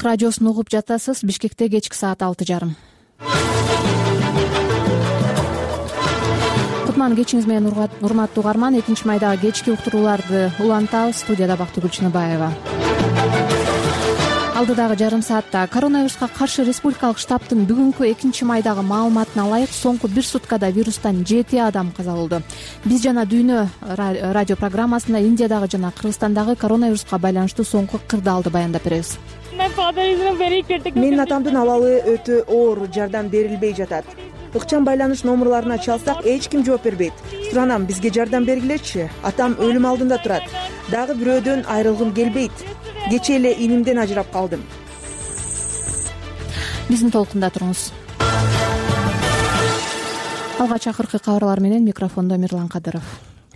Азаттык радиосун угуп жатасыз. Бишкекте кечки саат 6:30. Кутман кечиңиз менен урматтуу угарман. 2-майдагы кечки уктурууларды улантабыз. Студияда Бактыгүл Чыныбаева. Алдыдагы жарым саатта коронавируска каршы республикалык штабтын бүгүнкү 2-майдагы маалыматына ылайык соңку бир суткада вирустан 7 адам каза болду. Биз жана Дүйнө радио программасында Индиядагы жана Кыргызстандагы коронавируска байланыштуу соңку кырдаалды баяндап беребиз. Менин атамдын абалы өтө оор, жардам берилбей жатат. Ыкчам байланыш номурларына чалсак эч ким жооп бербейт. Суранам, бизге жардам бергилечи. Атам өлүм алдында турат. Дагы бирөөдөн айрылгым келбейт. Кечээ эле инимден ажырап калдым. Биздин толкунда туруңуз. Алгач акыркы кабарлар менен микрофондо Мирлан Кадыров.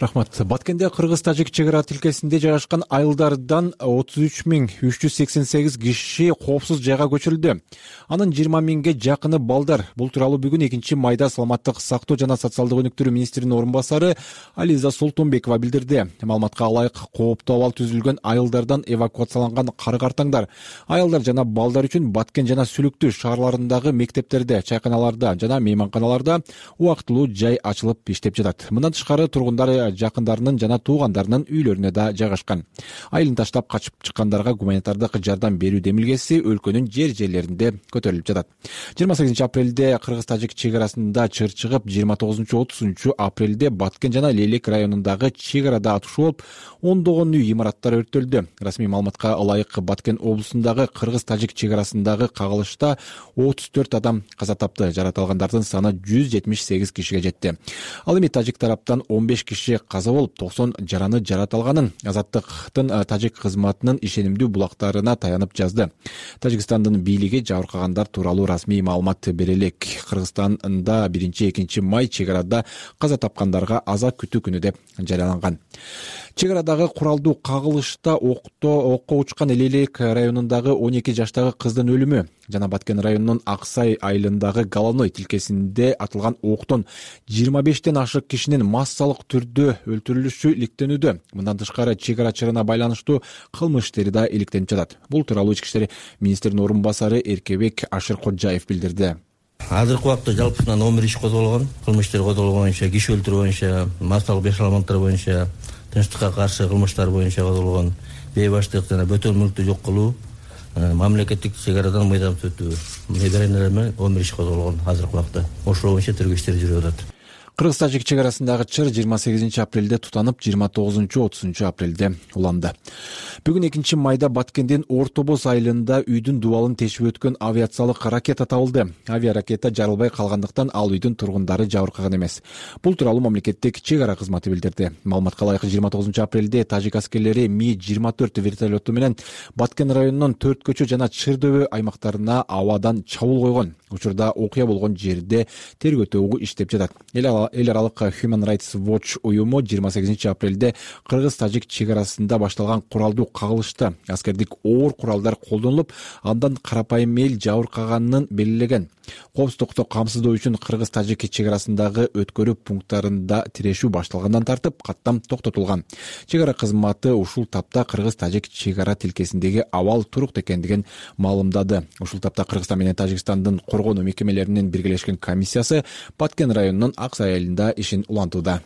Рахмат. Баткенде кыргыз-тажик чек ара тилкесинде жайгашкан айылдардан 33.388 киши коопсуз жайга көчүрүлдү. Анын 20.000ге жакыны балдар. Бул тууралуу бүгүн 2-майда саламаттык сактоо жана социалдык өнүктүрүү министринин орун басары Ализа Солтонбекова билдирди. Маалыматка ылайык кооптуу абал түзүлгөн айылдардан эвакуацияланган кара-картаңдар, аялдар жана балдар үчүн Баткен жана Сүлүктү шаарларындагы мектептерде, чайканаларда жана мейманканаларда убактылуу жай ачылып иштеп жатат. Мындан тышкары тургундар жакындарынын жана туугандарынын үйлөрүнө да жайгашкан. Айылын таштап качып чыккандарга гуманитардык жардам берүү демилгеси өлкөнүн жерлеринде көтөрүлүп жатат. 28-апрелде кыргыз-тажик чек арасында чыр чыгып, 29-30 апрелде Баткен жана Лелек районундагы чек арада атышуу болуп, ондогон үй имараттар өрттөлдү. Расмий маалыматка ылайык Баткен облусундагы кыргыз-тажик чек арасындагы кагылышта 34 адам каза тапты. Жаратылгандардын саны 178 кишиге жетти. Ал эми тажик тараптан 15 киши каза болуп, 90 жараны жаратылганын Азаттыктын тажик кызматынын ишенимдүү булактарына таянып жазды. Тажикстандын бийлиги жабыркагандар тууралуу расмий маалымат бере элек. Кыргызстанда 1-2 май чек арада каза тапкандарга аза күтүү күнү деп жарыяланган. Чек арадагы куралдуу кагылышта окко учкан Лелек районундагы 12 жаштагы кыздын өлүмү жана Баткен районунун Аксай айылындагы Головной тилкесинде атылган октон 25тен ашык кишинин массалык түрдө өлтүрүлүшү иликтенүүдө. Мындан тышкары чек ара чырына байланыштуу кылмыш иштери да иликтенип жатат. Бул тууралуу ички иштер министринин орун басары Эркебек Ашыркожаев билдирди. Азыркы убакта жалпысынан 11 иш козголгон, кылмыш иштери козголгон боюнча, киши өлтүрүү боюнча, массалык бешаламаттар боюнча, тынчтыкка каршы кылмыштар боюнча козголгон, бейбаштык жана бөтөн мүлктү жок кылуу, мамлекеттик чек арадан мыйзамсыз өтүү. Мындай менен 11 иш козголгон азыркы убакта. Ошол боюнча тергөө иштери жүрүп атат. Кыргыз-тажик чек арасындагы чыр 28-апрелде тутанып, 29-30 апрелде уланды. Бүгүн 2-майда Баткендин Ортобоз айылында үйдүн дубалын тешип өткөн авиациялык ракета табылды. Авиаракета жарылбай калгандыктан ал үйдүн тургундары жабыркаган эмес. Бул тууралуу мамлекеттик чек ара кызматы билдирди. Маалыматка ылайык 29-апрелде тажик аскерлери Ми-24 вертолету менен Баткен районунун Төрт көчө жана Чырдөбө аймактарына абадан чабуул койгон. Учурда окуя болгон жерде тергөө тобу иштеп жатат. Эл аралык Human Rights Watch уюму 28-апрелде кыргыз-тажик чек арасында башталган куралдуу кагылышта аскердик оор куралдар колдонулуп, андан карапайым эл жабыркаганын белгилеген. Коопсуздукту камсыздоо үчүн кыргыз-тажик чек арасындагы өткөрүү пункттарында тирешүү башталгандан тартып каттам токтотулган. Чек ара кызматы ушул тапта кыргыз-тажик чек ара тилкесиндеги абал турук экендигин маалымдады. Ушул тапта Кыргызстан менен Тажикстандын коргонуу мекемелеринин биргелешкен комиссиясы Баткен районунун Аксай айылында ишин улантууда.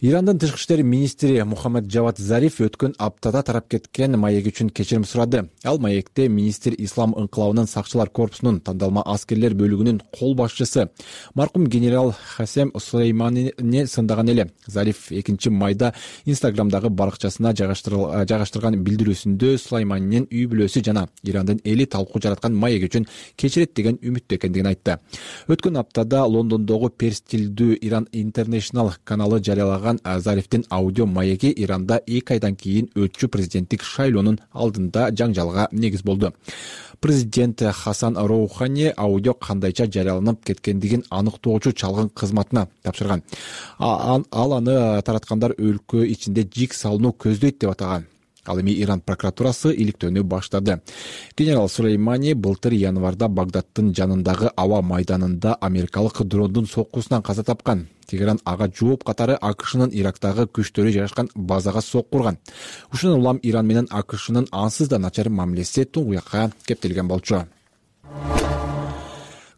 Ирандын тышкы иштер министри Мухаммад Джавад Зариф өткөн аптада тарап кеткен маек үчүн кечирим сурады. Ал маекте министр Ислам ыңкылабынын сакчылар корпусунун тандалма аскерлер бөлүгүнүн кол башчысы маркум генерал Хасем Сулейманини сындаган эле. Зариф 2-майда Инстаграмдагы баракчасына жайгаштырган билдирүүсүндө Сулейманинин үй бүлөсү жана Ирандын эли талкуу жараткан маек үчүн кечирет деген үмүттө экендигин айтты. Өткөн аптада Лондондогу перс тилдүү Иран International каналы жарыялаган Зарифтин аудио маеги Иранда 2 айдан кийин өтчү президенттик шайлоонун алдында жаңжалга негиз болду. Президент Хасан Роухани аудио кандайча жарыяланып кеткендигин аныктоочу чалгын кызматына тапшырган. Ал аны тараткандар өлкө ичинде жик салууну көздөйт деп атаган. Ал эми Иран прокуратурасы иликтөөнү баштады. Генерал Сулеймани былтыр январда Багдадтын жанындагы аба майданында америкалык дрондун соккусунан каза тапкан. Тегеран ага жооп катары АКШнын Ирактагы күчтөрү жайгашкан базага сокку урган. Ушундан улам Иран менен АКШнын ансыз да начар мамилеси туңгуякка кептелген болчу.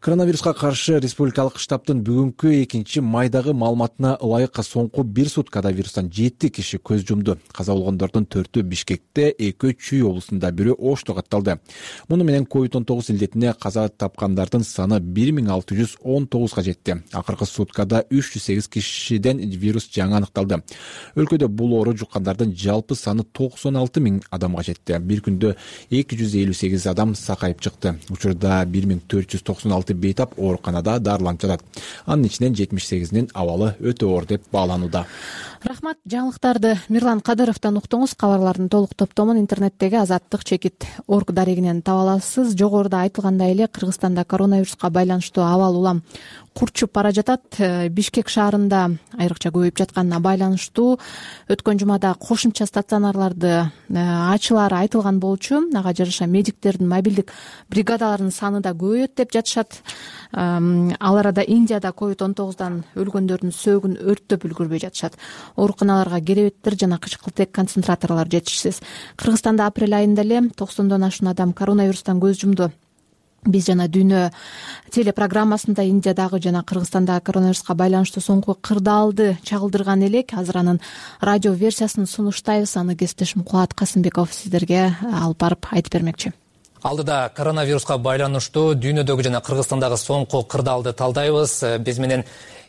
Коронавируска каршы республикалык штабтын бүгүнкү 2-майдагы маалыматына ылайык соңку 1 суткада вирустан 7 киши көз жумду. Каза болгондордун 4-ü Бишкекте, 2-ü Чүй облусунда, 1-ü Ошто катталды. Муну менен COVID-19 илдетине каза тапкандардын саны 1619га жетти. Акыркы суткада 308 кишиден вирус жаңы аныкталды. Өлкөдө бул оору жуккандардын жалпы саны 96 000 адамга жетти. Бир күндө 258 адам сакайып чыкты. Учурда 1496 бейтап ооруканада дарыланып жатат. Анын ичинен 78-нин абалы өтө оор деп бааланууда. Рахмат. Жаңылыктарды Мирлан Кадыровдон уктуңуз. Кабарлардын толук топтомун интернеттеги Азаттык чекит.org дарегинен таба аласыз. Жогоруда айтылгандай эле Кыргызстанда коронавируска байланыштуу абал улам курчуп бара жатат. Бишкек шаарында айрыкча көбөйүп жатканына байланыштуу өткөн жумада кошумча стационарларды ачылары айтылган болчу. Ага жараша медиктердин мобилдик бригадаларынын саны да көбөйөт деп жатышат. Ал арада Индияда COVID-19дан өлгөндөрдүн сөөгүн өрттөп үлгүрбөй жатышат. Ооруканаларга керебеттер жана кычкылтек концентраторлор жетишсиз. Кыргызстанда апрель айында эле 90дон ашуун адам коронавирустан көз жумду. Биз жана Дүйнө телепрограммасында Индиядагы жана Кыргызстандагы коронавируска байланыштуу соңку кырдаалды чагылдырган элек. Азыр анын радио версиясын сунуштайбыз. Аны кесиптешим Кубат Касымбеков сиздерге алып барып айтып бермекчи. Алдыда коронавируска байланыштуу дүйнөдөгү жана Кыргызстандагы соңку кырдаалды талдайбыз. Биз менен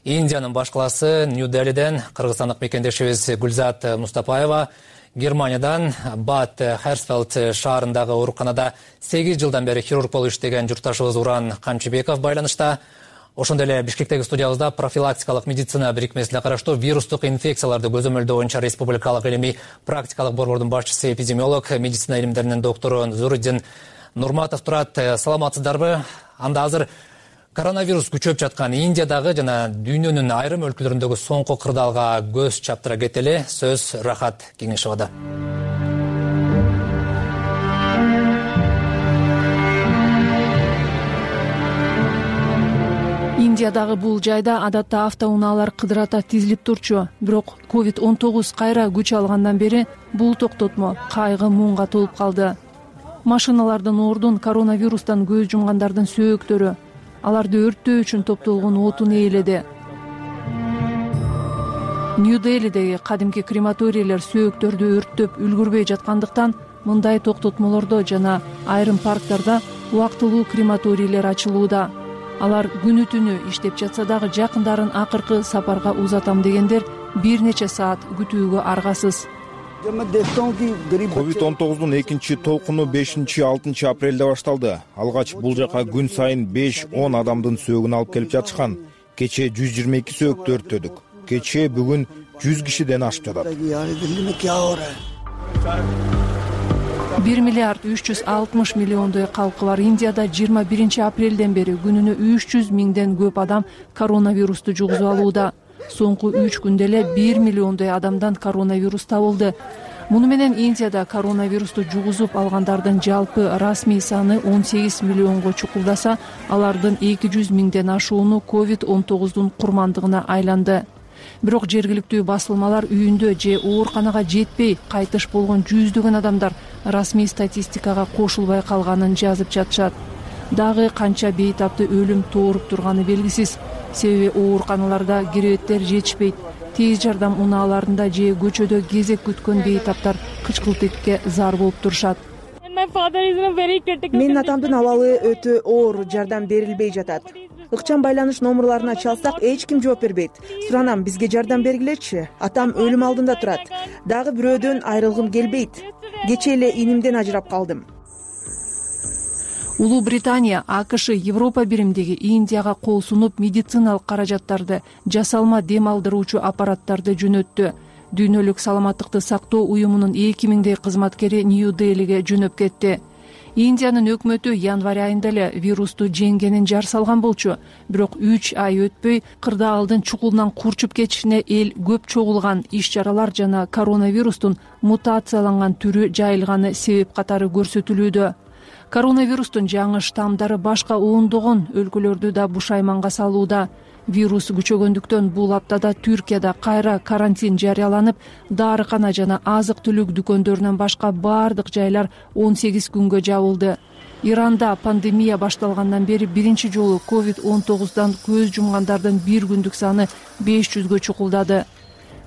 Индиянын баш калаасы Нью-Делиден кыргызстандык мекендешибиз Гүлзат Мустапаева, Германиядан Бад Херсфелд шаарындагы ооруканада 8 жылдан бери хирург болуп иштеген журтташыбыз Уран Камчыбеков байланышта. Ошондой эле Бишкектеги студиябызда профилактикалык медицина бирикмесине караштуу вирустук инфекцияларды көзөмөлдөө боюнча республикалык илимий практикалык борбордун башчысы, эпидемиолог, медицина илимдеринин доктору Зуруддин Нурматов турат. Саламатсыздарбы? Анда азыр коронавирус күчөп жаткан Индиядагы жана дүйнөнүн айрым өлкөлөрүндөгү соңку кырдаалга көз чаптыра кетели. Сөз Рахат Кеңешовада. Индиядагы бул жайда адатта автоунаалар кыдырата тизилип турчу. Бирок COVID-19 кайра күч алгандан бери бул токтотмо кайгы муңга толуп калды. Машиналардын ордун коронавирустан көз жумгандардын сөөктөрү, аларды өрттөө үчүн топтолгон отун ээледи. Нью-Делидеги кадимки крематорийлер сөөктөрдү өрттөп үлгүрбөй жаткандыктан мындай токтотмолордо жана айрым парктарда убактылуу крематорийлер ачылууда. Алар күнү түнү иштеп жатса дагы жакындарын акыркы сапарга узатам дегендер бир нече саат күтүүгө аргасыз. COVID-19 экинчи толкуну 5-6 апрелде башталды. Алгач бул жака күн сайын 5-10 адамдын сөөгүн алып келип жатышкан. Кече 122 сөөктү өрттөдүк. Кече бүгүн 100 кишиден ашып жатат. 1 миллиард 360 миллиондой калкы бар Индияда 21 апрелден бери күнүнө 300 миңден көп адам коронавирусту жугузуп алууда. Соңку 3 күндө эле 1 миллиондой адамдан коронавирус табылды. Муну менен Индияда коронавирусту жугузуп алгандардын жалпы расмий саны 18 миллионго чукулдаса, алардын 200 миңден ашууну COVID-19дун курмандыгына айланды. Бирок жергиликтүү басылмалар үйүндө же ооруканага жетпей кайтыш болгон жүздөгөн адамдар расмий статистикага кошулбай калганын жазып жатышат. Дагы канча бейтапты өлүм тооруп турганы белгисиз. Себеби ооруканаларда керебеттер жетишпейт. Тез жардам унааларында же көчөдө кезек күткөн бейтаптар кычкылтекке зар болуп турушат. Менин атамдын абалы өтө оор, жардам берилбей жатат. Ыкчам байланыш номерларына чалсак эч ким жооп бербейт. Суранам, бизге жардам бергилечи. Атам өлүм алдында турат. Дагы бирөөдөн айрылгым келбейт. Кечээ эле инимден ажырап калдым. Улуу Британия, АКШ, Европа биримдиги Индияга кол сунуп медициналык каражаттарды, жасалма дем алдыруучу аппараттарды жөнөттү. Дүйнөлүк саламаттыкты сактоо уюмунун 2000дей кызматкери Нью-Делиге жөнөп кетти. Индиянын өкмөтү январь айында эле вирусту жеңгенин жар салган болчу. Бирок 3 ай өтпөй кырдаалдын чукулунан курчуп кетишине эл көп чогулган иш-чаралар жана коронавирустун мутацияланган түрү жайылганы себеп катары көрсөтүлүүдө. Коронавирустун жаңы штамдары башка ондогон өлкөлөрдү да бушайманга салууда. Вирус күчөгөндүктөн бул аптада Түркияда кайра карантин жарыяланып, дарыкана жана азык-түлүк дүкөндөрүнөн башка бардык жайлар 18 күнгө жабылды. Иранда пандемия башталгандан бери биринчи жолу COVID-19 көз жумгандардын бир күндүк саны 500гө чукулдады.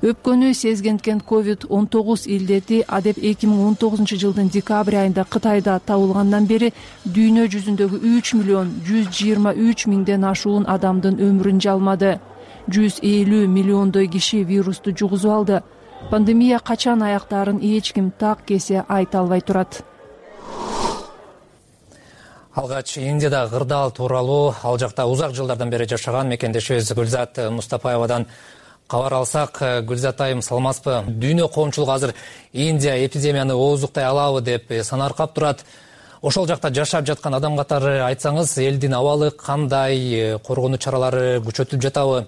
Өпкөнү сезгенткен COVID-19 илдети адеп 2019 жылдын декабрь айында Кытайда табылгандан бери дүйнө жүзүндөгү 3.123.000ден ашуун адамдын өмүрүн жалмады. 150 миллиондой киши вирусту жугузуп алды. Пандемия качан аяктаарын эч ким так кесе айта албай турат. Алгач Индияда кырдаал тууралуу ал жакта узак жылдардан бери жашаган мекендешибиз Гүлзат Мустапаевадан кабар алсак. Гүлзат айым, саламатсызбы? Дүйнө коомчулугу азыр Индия эпидемияны оозуктай алабы деп санаркап турат. Ошол жакта жашап жаткан адам катары айтсаңыз, элдин абалы кандай, коргонуу чаралары күчөтүлүп жатабы?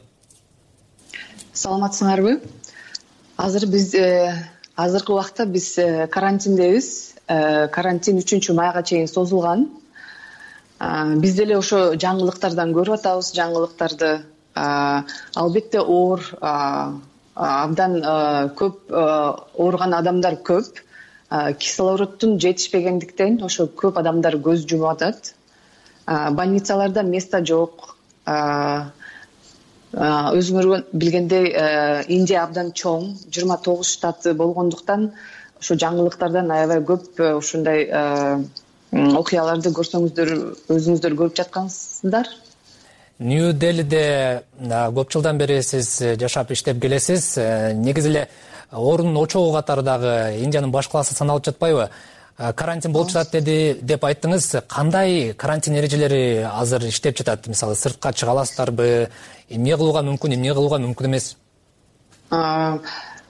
Саламатсыңарбы? Азыркы убакта биз карантиндебиз. Карантин 3-майга чейин созулган. Биз деле ошо жаңылыктардан көрүп атабыз, жаңылыктарды. Албетте оор, абдан көп ооруган адамдар көп. Кислороддун жетишпегендиктен ошо көп адамдар көз жумуп атат. Больницаларда место жок. Өзүңөр билгендей, Индия абдан чоң, 29 штаты болгондуктан ошо жаңылыктардан аябай көп ушундай окуяларды көрсөңүздөр, өзүңүздөр көрүп жаткансыздар. Нью-Делиде көп жылдан бери сиз жашап иштеп келесиз. Негизи эле оорунун очогу катары дагы Индиянын баш калаасы саналып жатпайбы? Карантин болуп жатат деп айттыңыз. Кандай карантин эрежелери азыр иштеп жатат? Мисалы, сыртка чыга аласыздарбы? Эмне кылууга мүмкүн, эмне кылууга мүмкүн эмес?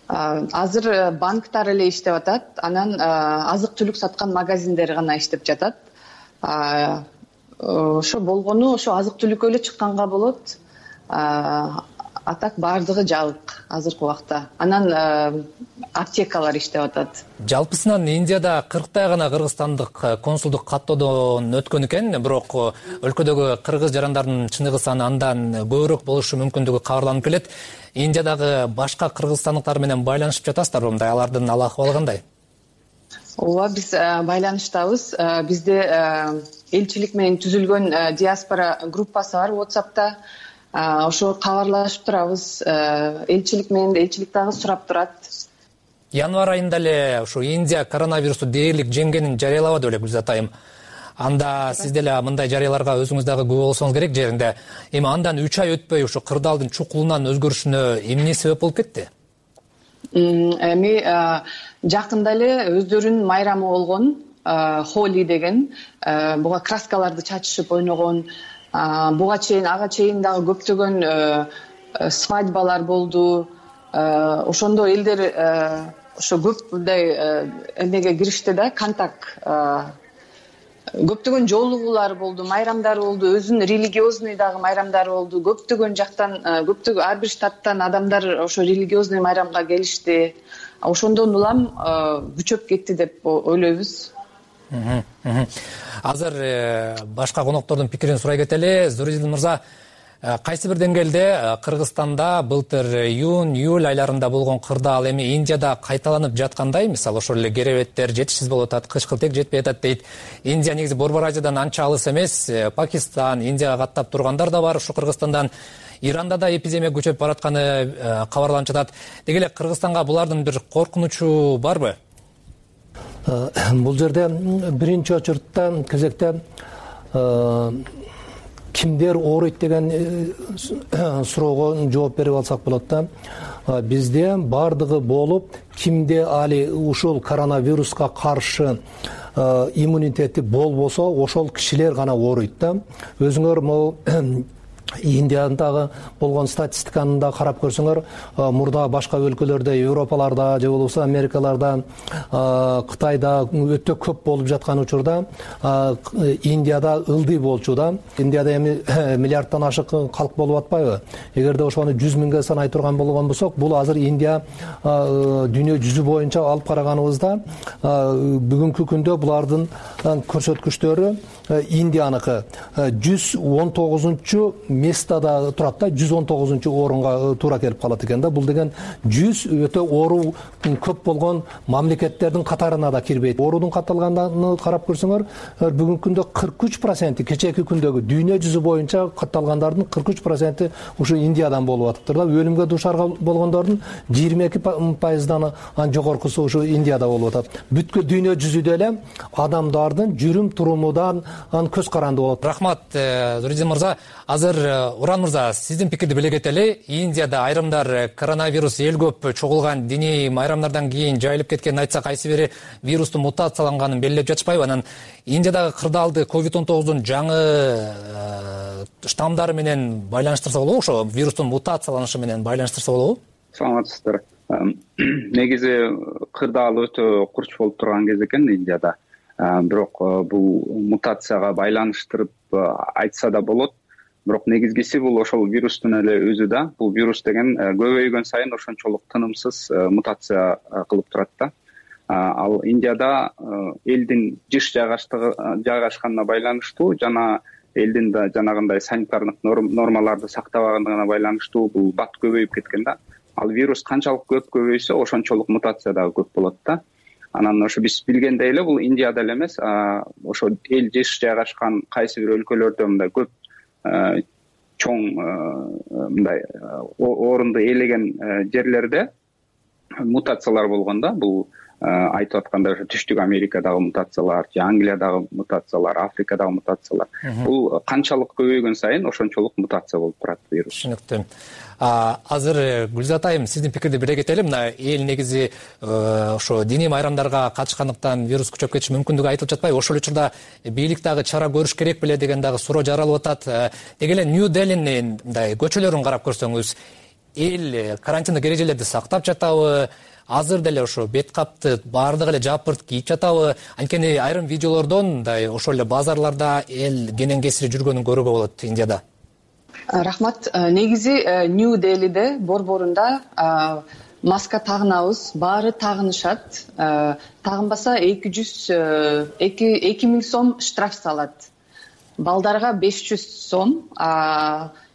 Азыр банктар эле иштеп атат. Анан азык-түлүк саткан магазиндер гана иштеп жатат. Ошо болгону ошо азык-түлүккө эле чыкканга болот. А так бардыгы жабык азыркы убакта. Анан аптекалар иштеп атат. Жалпысынан Индияда 40 гана кыргызстандык консулдук каттоодон өткөн экен, бирок өлкөдөгү кыргыз жарандардын чыныгы саны андан көбүрөөк болушу мүмкүндүгү кабарланып келет. Индиядагы башка кыргызстандыктар менен байланышып жатасыздарбы? Мындай алардын ал акыбалы кандай? Ооба, биз байланыштабыз. Бизде элчилик менен түзүлгөн диаспора группасы бар WhatsApp'та. Ошо кабарлашып турабыз. Элчилик менен элчилик дагы сурап турат. Январь айында эле ушу Индия коронавирусту дээрлик жеңгенин жарыялабады беле Гүлзат айым. Анда сиз деле мындай жарыяларга өзүңүз дагы күбө болсоңуз керек жеринде. Эми андан 3 ай өтпөй ушу кырдаалдын чукулунан өзгөрүшүнө эмне себеп болуп кетти? Эми жакында эле өздөрүнүн майрамы болгон, Холи деген, буга краскаларды чачышып ойногон, ага чейин дагы көптөгөн свадьбалар болду. Ошондо элдер ошо көп мындай эмеге киришти да, контакт. Көптөгөн жолугуулар болду, майрамдар болду, өзүнүн религиозный дагы майрамдары болду. Көптөгөн жактан, ар бир штаттан адамдар ошо религиозный майрамга келишти. Ошондон улам күчөп кетти деп ойлойбуз. Азыр башка коноктордун пикирин сурай кетели. Зуридин мырза, кайсы бир деңгээлде Кыргызстанда былтыр июнь-июль айларында болгон кырдаал эми Индияда кайталанып жаткандай? Мисалы, ошол эле керебеттер жетишсиз болуп атат, кычкылтек жетпей атат дейт. Индия негизи Борбор Азиядан анча алыс эмес. Пакистан, Индияга каттап тургандар да бар ушу Кыргызстандан. Иранда да эпидемия күчөп баратканы кабарланып жатат. Деги эле Кыргызстанга булардын бир коркунучу барбы? Бул жерде биринчи очуртта кезекте кимдер ооруйт деген суроого жооп берип алсак болот да. Бизде бардыгы болуп, кимде али ушул коронавируска каршы иммунитети болбосо, ошол кишилер гана ооруйт да. Өзүңөр могу Индиядагы болгон статистиканы да карап көрсөңөр, мурда башка өлкөлөрдө, Европаларда же болбосо Америкаларда, Кытайда өтө көп болуп жаткан учурда Индияда ылдый болчу да. Индияда эми миллиардтан ашык калк болуп атпайбы? Эгерде ошону 100 миңге санай турган болгон болсок, бул азыр Индия дүйнө жүзү боюнча алып караганыбызда бүгүнкү күндө булардын көрсөткүчтөрү Индияныкы 119 местада турат да, 119-орунга туура келип калат экен да. Бул деген 100 өтө оору көп болгон мамлекеттердин катарына да кирбейт. Оорунун катталганын карап көрсөңөр, бүгүнкү күндө 43%, кечээки күндөгү дүйнө жүзү боюнча катталгандардын 43% ушу Индиядан болуп атыптыр да. Өлүмгө дуушар болгондордун 22%дан жогоркусу ушу Индияда болуп атат. Бүткүл дүйнө жүзүдө эле адамдардын жүрүм турумудан көз каранды болот. Рахмат, Нуридин мырза. Азыр Уран мырза, сиздин пикирди биле кетели. Индияда айрымдар коронавирус эл көп чогулган диний майрамдардан кийин жайылып кеткенин айтса, кайсы бири вирустун мутацияланганын белгилеп жатышпайбы? Анан Индиядагы кырдаалды COVID-19 жаңы штамдары менен байланыштырса болобу? Ошо вирустун мутацияланышы менен байланыштырса болобу? Саламатсыздар. Негизи кырдаал өтө курч болуп турган кез экен Индияда. Бирок бул мутацияга байланыштырып айтса да болот. Бирок негизгиси бул ошол вирустун эле өзү да. Бул вирус деген көбөйгөн сайын ошончолук тынымсыз мутация кылып турат да. Ал Индияда элдин жыш жайгашканына байланыштуу жана элдин да жанагындай санитардык нормаларды сактабагандыгына байланыштуу бул бат көбөйүп кеткен да. Ал вирус канчалык көп көбөйсө, ошончолук мутация дагы көп болот да. Анан ошо биз билгендей эле бул Индияда эле эмес, ошо эл жыш жайгашкан кайсы бир өлкөлөрдө мындай көп чоң мындай орунду ээлеген жерлерде мутациялар болгон да. Бул айтып аткандай ошо Түштүк Америкадагы мутациялар, же Англиядагы мутациялар, Африкадагы мутациялар. Бул канчалык көбөйгөн сайын ошончолук мутация болуп турат вирус. Түшүнүктүү. Азыр Гүлзат айым, сиздин пикирди биле кетели. Мына эл негизи ошо диний майрамдарга катышкандыктан вирус күчөп кетиши мүмкүндүгү айтылып жатпайбы? Ошол учурда бийлик дагы чара көрүш керек беле деген дагы суроо жаралып атат. Деги эле Нью-Делинин мындай көчөлөрүн карап көрсөңүз, эл карантиндик эрежелерди сактап жатабы? Азыр деле ошо бет капты баардыгы эле жапырт кийип жатабы? Анткени айрым видеолордон мындай ошол эле базарларда эл кенен кесири жүргөнүн көрүүгө болот Индияда. Рахмат. Негизи Нью-Делиде борборунда маска тагынабыз, баары тагынышат. Тагынбаса 2000 сом штраф салат. Балдарга 500 сом,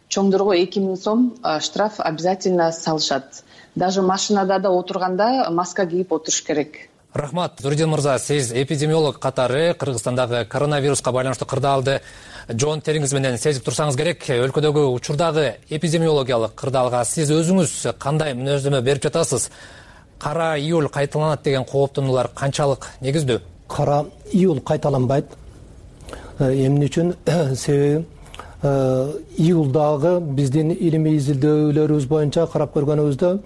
чоңдорго 2000 сом штраф обязательно салышат. Даже машинада да отурганда маска кийип отуруш керек. Рахмат, Нуридин мырза, сиз эпидемиолог катары Кыргызстандагы коронавируска байланыштуу кырдаалды жоонтериңиз менен сезип турсаңыз керек. Өлкөдөгү учурдагы эпидемиологиялык кырдаалга сиз өзүңүз кандай мүнөздөмө берип жатасыз? Кара июль кайталанат деген кооптонуулар канчалык негиздүү? Кара июль кайталанбайт. Эмне үчүн? Себеби июлдагы биздин илимий изилдөөлөрүбүз боюнча карап көргөнүбүздө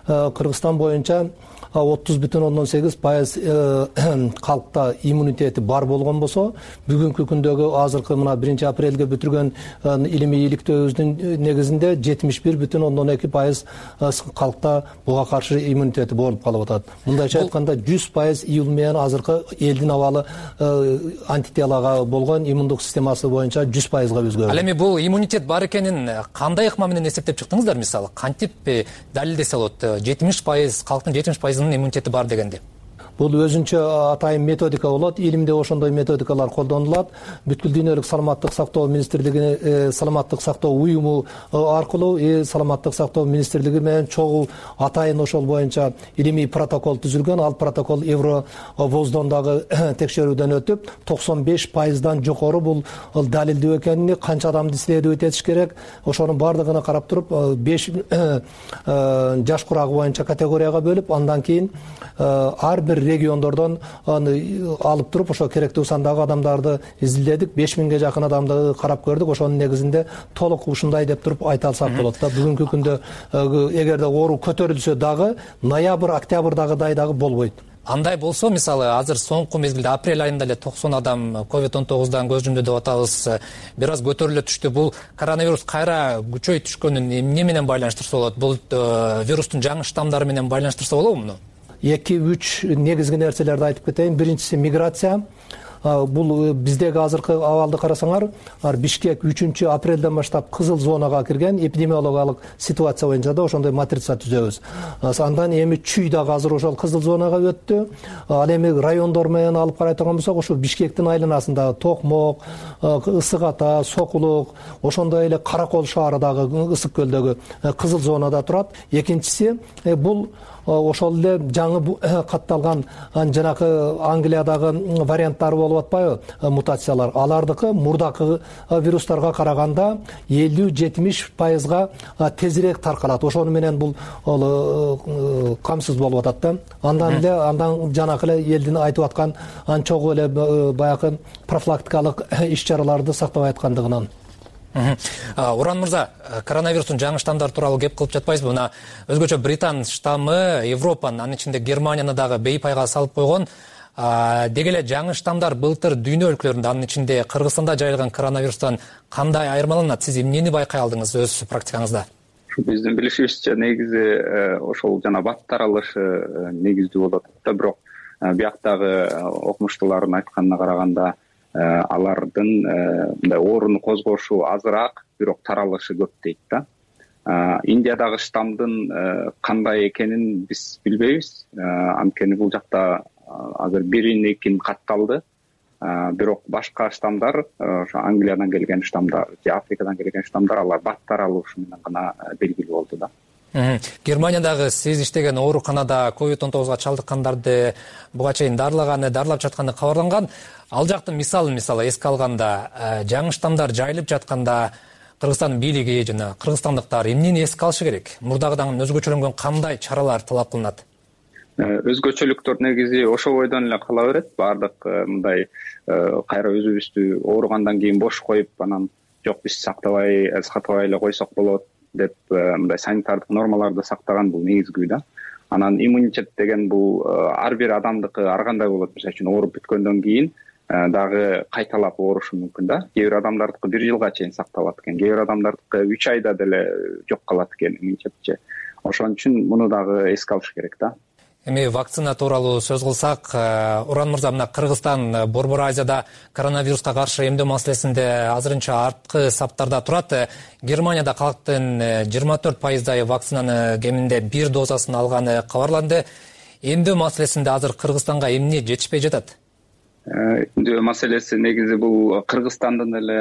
Кыргызстан боюнча 30,8% калкта иммунитети бар болгон болсо, бүгүнкү күндөгү азыркы мына 1-апрелге бүтүргөн илимий иликтөөбүздүн негизинде 71,2% калкта буга каршы иммунитети болуп калып атат. Мындайча айтканда 100% июль менен азыркы элдин абалы антителага болгон иммундук системасы боюнча 100%га өзгөрдү. Ал эми бул иммунитет бар экенин кандай ыкма менен эсептеп чыктыңыздар? Мисалы, кантип далилдесе болот? 70% калктын 70% иммунитети бар дегенди. Бул өзүнчө атайын методика болот. Илимде ошондой методикалар колдонулат. Бүткүл дүйнөлүк саламаттык сактоо министрлиги, саламаттык сактоо уюму аркылуу саламаттык сактоо министрлиги менен чогуу атайын ошол боюнча илимий протокол түзүлгөн. Ал протокол Евровоздон дагы текшерүүдөн өтүп, 95%дан жогору бул далилдүү экенин, канча адамды исследовать этиш керек, ошонун бардыгына карап туруп 5 жаш курагы боюнча категорияга бөлүп, андан кийин ар бир региондордон алып туруп ошо керектүү сандагы адамдарды изилдедик. 5000ге жакын адамды карап көрдүк. Ошонун негизинде толук ушундай деп туруп айта алсак болот да. Бүгүнкү күндө эгерде оору көтөрүлсө дагы ноябрь, октябрдагыдай дагы болбойт. Андай болсо, мисалы, азыр соңку мезгилде апрель айында эле 90 адам COVID-19дан көз жұмды деп атабыз, бир аз көтөрүлө түштү. Бул коронавирус кайра күчөй түшкөнүн эмне менен байланыштырса болот? Бул вирустун жаңы штамдары менен байланыштырса болобу муну? 2-3 негизги нерселерди айтып кетейин. Биринчиси миграция. бул биздеги азыркы абалды карасаңар, Бишкек 3-апрелден баштап кызыл зонага кирген, эпидемиологиялык ситуация боюнча да ошондой матрица түзөбүз. Андан эми Чүй дагы азыр ошол кызыл зонага өттү. Ал эми райондор менен алып карай турган болсок, ошо Бишкектин айланасында Токмок, Ысык Ата, Сокулук, ошондой эле Каракол шаары дагы Ысык көлдөгү кызыл зонада турат. Экинчиси бул ошол эле жаңы катталган жанакы Англиядагы варианттары болуп атпайбы, мутациялар. Алардыкы мурдакы вирустарга караганда 50-70% тезирээк таркалат. Ошону менен бул камсыз болуп атат да. Андан жанакы эле элдин айтып аткан чогуу эле баягы профилактикалык иш-чараларды сактабай аткандыгынан. Уран мырза, коронавирустун жаңы штамдары тууралуу кеп кылып жатпайсызбы? Мына өзгөчө Британ штаммы Европанын, анын ичинде Германияны дагы бейпайга салып койгон. Деги эле жаңы штамдар былтыр дүйнө өлкөлөрүндө, анын ичинде Кыргызстанда жайылган коронавирустан кандай айырмаланат? Сиз эмнени байкай алдыңыз өз практикаңызда? Биздин билишибизче негизи ошол жана бат таралышы негиздүү болуп атат да, бирок бияктагы окумуштуулардын айтканына караганда алардын мындай ооруну козгошу азыраак, бирок таралышы көп дейт да. Индиядагы штамдын кандай экенин биз билбейбиз. Анткени бул жакта азыр 1-2 катталды. Бирок башка штамдар, ошо Англиядан келген штамдар, же Африкадан келген штамдар, алар бат таралышы менен гана белгилүү болду да. Германиядагы сиз иштеген ооруканада COVID-19 чалдыккандарды буга чейин дарылап жатканы кабарланган. Ал жактын мисалы эске алганда, жаңы штамдар жайылып жатканда Кыргызстан бийлиги жана кыргызстандыктар эмнени эске алышы керек? Мурдагыдан өзгөчөлөнгөн кандай чаралар талап кылынат? Өзгөчөлүктөр негизи ошол бойдон эле кала берет. Бардык мындай кайра өзүбүздү ооругандан кийин бош коюп, анан жок биз сактабай эле койсок болот деп мындай санитардык нормаларды сактаган бул негизгүү да. Анан иммунитет деген бул ар бир адамдыкы ар кандай болот. Мисалы үчүн ооруп бүткөндөн кийин дагы кайталап оорушу мүмкүн да. Кээ бир адамдардыкы 1 жылга чейин сакталат экен, кээ бир адамдардыкы 3 айда деле жок калат экен иммунитетчи. Ошон үчүн муну дагы эске алыш керек да. Эми вакцина тууралуу сөз кылсак, Уран мырза, мына Кыргызстан Борбор Азияда коронавируска каршы эмдөө маселесинде азырынча арткы саптарда турат. Германияда калктын 24% вакцинаны кеминде 1 дозасын алганы кабарланды. Эмдөө маселесинде азыр Кыргызстанга эмне жетишпей жатат? Эмдөө маселеси негизи бул Кыргызстандын эле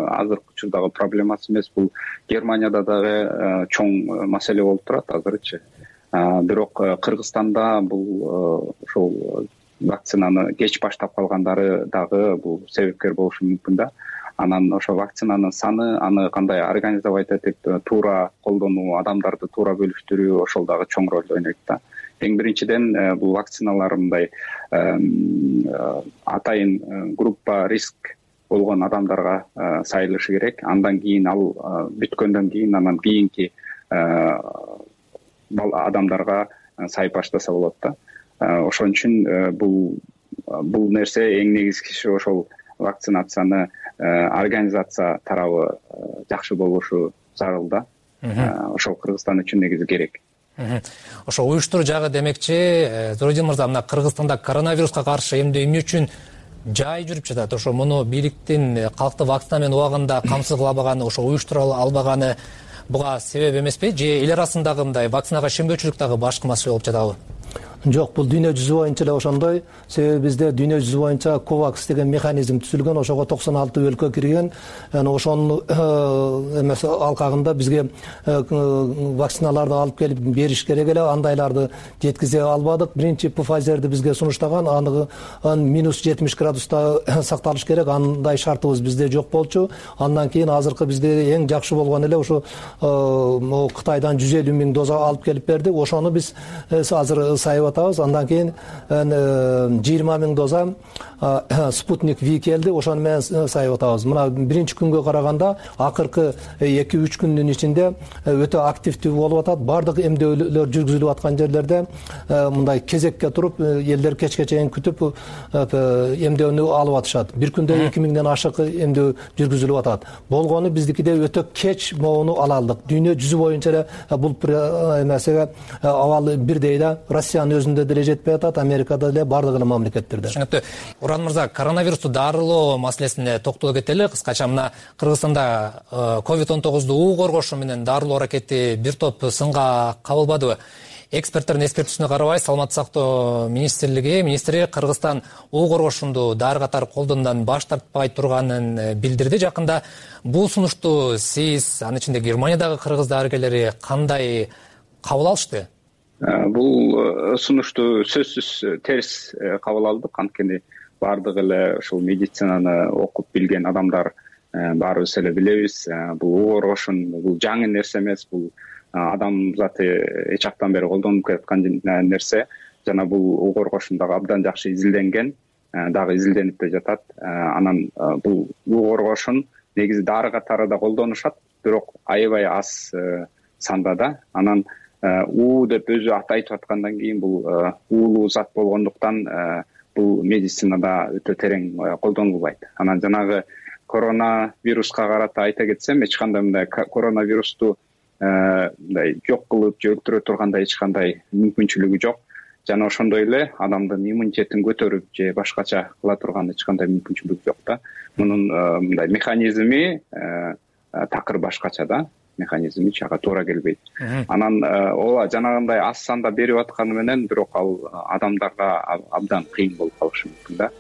азыркы учурдагы проблемасы эмес, бул Германияда дагы чоң маселе болуп турат азырчы. Бирок Кыргызстанда бул ошол вакцинаны кеч баштап калгандары дагы бул себепкер болушу мүмкүн да. Анан ошо вакцинанын саны, аны кандай организовать этип туура колдонуу, адамдарды туура бөлүштүрүү ошол дагы чоң роль ойнойт да. Эң биринчиден бул вакциналар мындай атайын группа риск болгон адамдарга сайылышы керек. Андан кийин ал бүткөндөн кийин анан кийинки адамдарга сайып баштаса болот да. Ошон үчүн бул нерсе эң негизгиси ошол вакцинацияны организация тарабы жакшы болушу зарыл да. Ошол Кыргызстан үчүн негизи керек. Ошо уюштуруу жагы демекчи, Зородин мырза, мына Кыргызстанда коронавируска каршы эмне үчүн жай жүрүп жатат? Ошо муну бийликтин калкты вакцина менен убагында камсыз кыла албаганы, ошо уюштура албаганы буга себеп эмеспи? Же эл арасындагы мындай вакцинага ишенбөөчүлүк дагы башкы маселе болуп жатабы? Жок, бул дүйнө жүзү боюнча эле ошондой. Себеби бизде дүйнө жүзү боюнча COVAX деген механизм түзүлгөн, ошого 96 өлкө кирген. Ошонун эмес алкагында бизге вакциналарды алып келип бериш керек эле, андайларды жеткизе албадык. Биринчи Pfizer'ди бизге сунуштаган, аны -70 градуста сакталыш керек, андай шартыбыз бизде жок болчу. Андан кийин азыркы бизде эң жакшы болгон эле ошо Кытайдан 150 000 доза алып келип берди. Ошону биз азыр сайып атабыз. Андан кийин 20 000 доза Спутник V келди, ошону менен сайып атабыз. Мына биринчи күнгө караганда акыркы 2-3 күндүн ичинде өтө активдүү болуп атат. Бардык эмдөөлөр жүргүзүлүп аткан жерлерде мындай кезекке туруп, элдер кечке чейин күтүп эмдөөнү алып атышат. Бир күндө 2000ден ашык эмдөө жүргүзүлүп атат. Болгону биздикиде өтө кеч могуну ала алдык. Дүйнө жүзү боюнча эле бул эмесеге абал бирдей да. Россиянын өзүндө деле жетпей атат, Америкада деле, бардык эле мамлекеттерде. Түшүнүктүү. Уран мырза, коронавирусту дарылоо маселесине токтоло кетели. Кыскача мына Кыргызстанда COVID-19 коргошу менен дарылоо аракети бир топ сынга кабылбадыбы? Эксперттердин эскертүүсүнө карабай, саламаттык сактоо министри Кыргызстан коргошунду дары катары колдонуудан баш тартпай турганын билдирди. Жакында бул сунушту сиз, анын ичинде Германиядагы кыргыз дарыгерлери кандай кабыл алышты? Бул сунушту сөзсүз терс кабыл алдык. Анткени баардык эле ушул медицинаны окуп билген адамдар баарыбыз эле билебиз. Бул коргошун бул жаңы нерсе эмес, бул адам заты эч жактан бери колдонуп келаткан нерсе. Жана бул коргошун дагы абдан жакшы изилденген, дагы изилденип да жатат. Анан бул коргошун негизи дары катары да колдонушат, бирок аябай аз санда да. Анан деп өзү аты айтып аткандан кийин бул уулуу зат болгондуктан бул медицинада өтө терең колдонулбайт. Анан жанагы коронавируска карата айта кетсем, эч кандай мындай коронавирусту мындай жок кылып же өлтүрө тургандай эч кандай мүмкүнчүлүгү жок. Жана ошондой эле адамдын иммунитетин көтөрүп же башкача кыла турган эч кандай мүмкүнчүлүк жок да. Мунун мындай механизми такыр башкача да. Механизми ага туура келбейт. Анан ооба жанагындай аз санда берип атканы менен бирок ал адамдарга абдан кыйын болуп калышы мүмкүн да.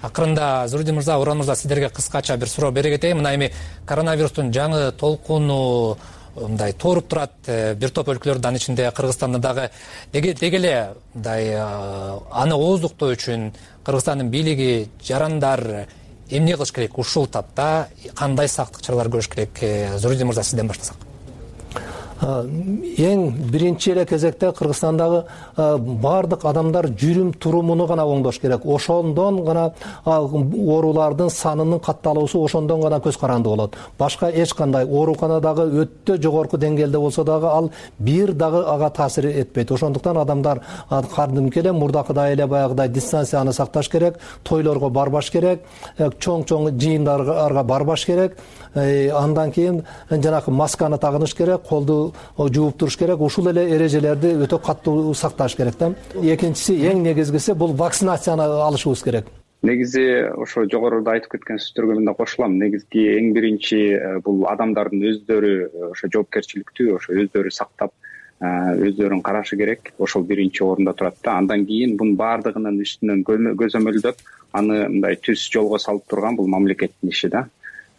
Акырында Зуридин мырза, Уран мырза, сиздерге кыскача бир суроо бере кетейин. Мына эми коронавирустун жаңы толкуну мындай тооруп турат бир топ өлкөлөрдө, анын ичинде Кыргызстанда дагы. Деги эле мындай аны ооздуктоо үчүн Кыргызстандын бийлиги, жарандар эмне кылыш керек? Ушул тапта кандай сактык чаралар көрүш керек? Зуридин мырза, сизден баштасак. Эң биринчи эле кезекте Кыргызстандагы бардык адамдар жүрүм турумуну гана оңдош керек. Ошондон гана оорулардын санынын катталуусу ошондон гана көз каранды болот. Башка эч кандай ооруканадагы өтө жогорку деңгээлде болсо дагы ал бир дагы ага таасир этпейт. Ошондуктан адамдар кадимки эле мурдакыдай эле баягыдай дистанцияны сакташ керек, тойлорго барбаш керек, чоң жыйындарга барбаш керек. Андан кийин жанагы масканы тагыныш керек, колду жууп туруш керек. Ушул эле эрежелерди өтө каттуу сакташ керек да. Экинчиси, эң негизгиси бул вакцинацияны алышыбыз керек. Негизи ошо жогоруда айтып кеткен сөздөргө мен да кошулам. Негизги эң биринчи бул адамдардын өздөрү ошо жоопкерчиликтүү, ошо өздөрү сактап, өздөрүн карашы керек. Ошол биринчи орунда турат да. Андан кийин бунун баардыгынын үстүнөн көзөмөлдөп, аны мындай түз жолго салып турган бул мамлекеттин иши да.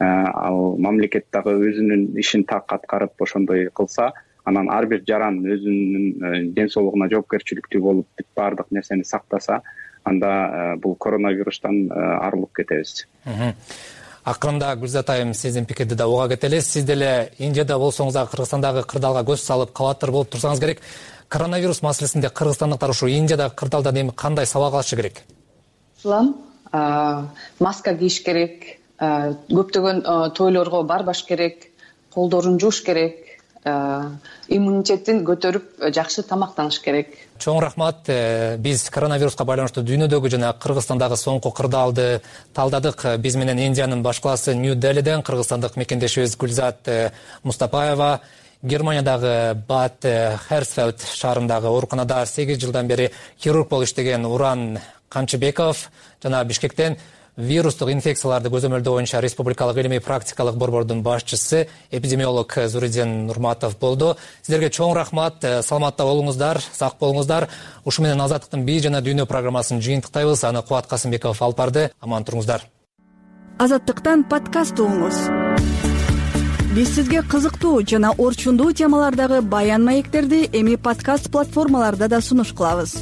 Ал мамлекет дагы өзүнүн ишин так аткарып ошондой кылса, анан ар бир жаран өзүнүн ден соолугуна жоопкерчиликтүү болуп баардык нерсени сактаса, анда бул коронавирустан арылып кетебиз. Акырында Гүлзат айым, сиздин пикирди да уга кетели. Сиз деле Индияда болсоңуз да Кыргызстандагы кырдаалга көз салып калаатыр болуп турсаңыз керек. Коронавирус маселесинде кыргызстандыктар ушу Индиядагы кырдаалдан эми кандай сабак алышы керек? Маска кийиш керек, көптөгөн тойлорго барбаш керек, колдорун жууш керек, иммунитетин көтөрүп жакшы тамактаныш керек. Чоң рахмат. Биз коронавируска байланыштуу дүйнөдөгү жана Кыргызстандагы соңку кырдаалды талдадык. Биз менен Индиянын баш калаасы Нью-Делиден кыргызстандык мекендешибиз Гүлзат Мустапаева, Германиядагы Бад Херсфельд шаарындагы ооруканада 8 жылдан бери хирург болуп иштеген Уран Камчыбеков жана Бишкектен вирустук инфекцияларды көзөмөлдөө боюнча республикалык илимий практикалык борбордун башчысы эпидемиолог Зуридин Нурматов болду. Сиздерге чоң рахмат. Саламатта болуңуздар, сак болуңуздар. Ушу менен Азаттыктын бий жана дүйнө программасын жыйынтыктайбыз. Аны Кубат Касымбеков алып барды. Аман туруңуздар. Азаттыктан подкаст угуңуз. Биз сизге кызыктуу жана орчундуу темалардагы баян маектерди эми подкаст платформаларда да сунуш кылабыз.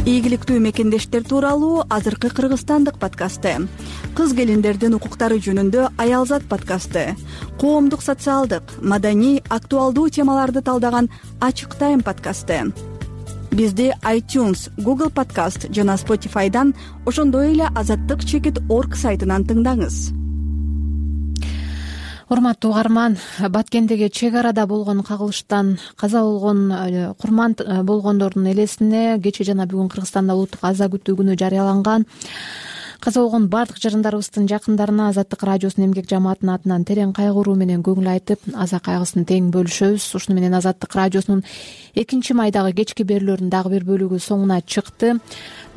Ийгиликтүү мекендештер тууралуу азыркы кыргызстандык подкасты, кыз келиндердин укуктары жөнүндө Аялзат подкасты, коомдук социалдык, маданий, актуалдуу темаларды талдаган Ачык Тайм подкасты. Бизди iTunes, Google Podcast жана Spotify'дан, ошондой эле azattik.org сайтынан тыңдаңыз. Урматтуу угарман, Баткендеги чек арада болгон кагылыштан каза болгон курман болгондордун элесине кечээ жана бүгүн Кыргызстанда улуттук аза күтүү күнү жарыяланган. каза болгон баардык жарандарыбыздын жакындарына Азаттык радиосунун эмгек жамаатынын атынан терең кайгыруу менен көңүл айтып, аза кайгысын тең бөлүшөбүз. Ушуну менен Азаттык радиосунун 2-майдагы кечки берүүлөрүнүн дагы бир бөлүгү соңуна чыкты.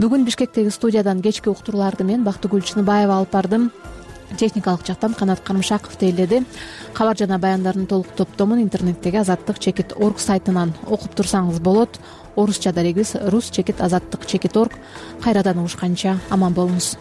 Бүгүн Бишкектеги студиядан кечки уктурууларды мен Бактыгүл Чыныбаева алып бардым. Техникалык жактан Канат Карымшаков тейледи. Кабар жана баяндардын толук топтомун интернеттеги azattik.org сайтынан окуп турсаңыз болот. Орусча дарегибиз rus.azattik.org. Кайрадан угушканча аман болуңуз.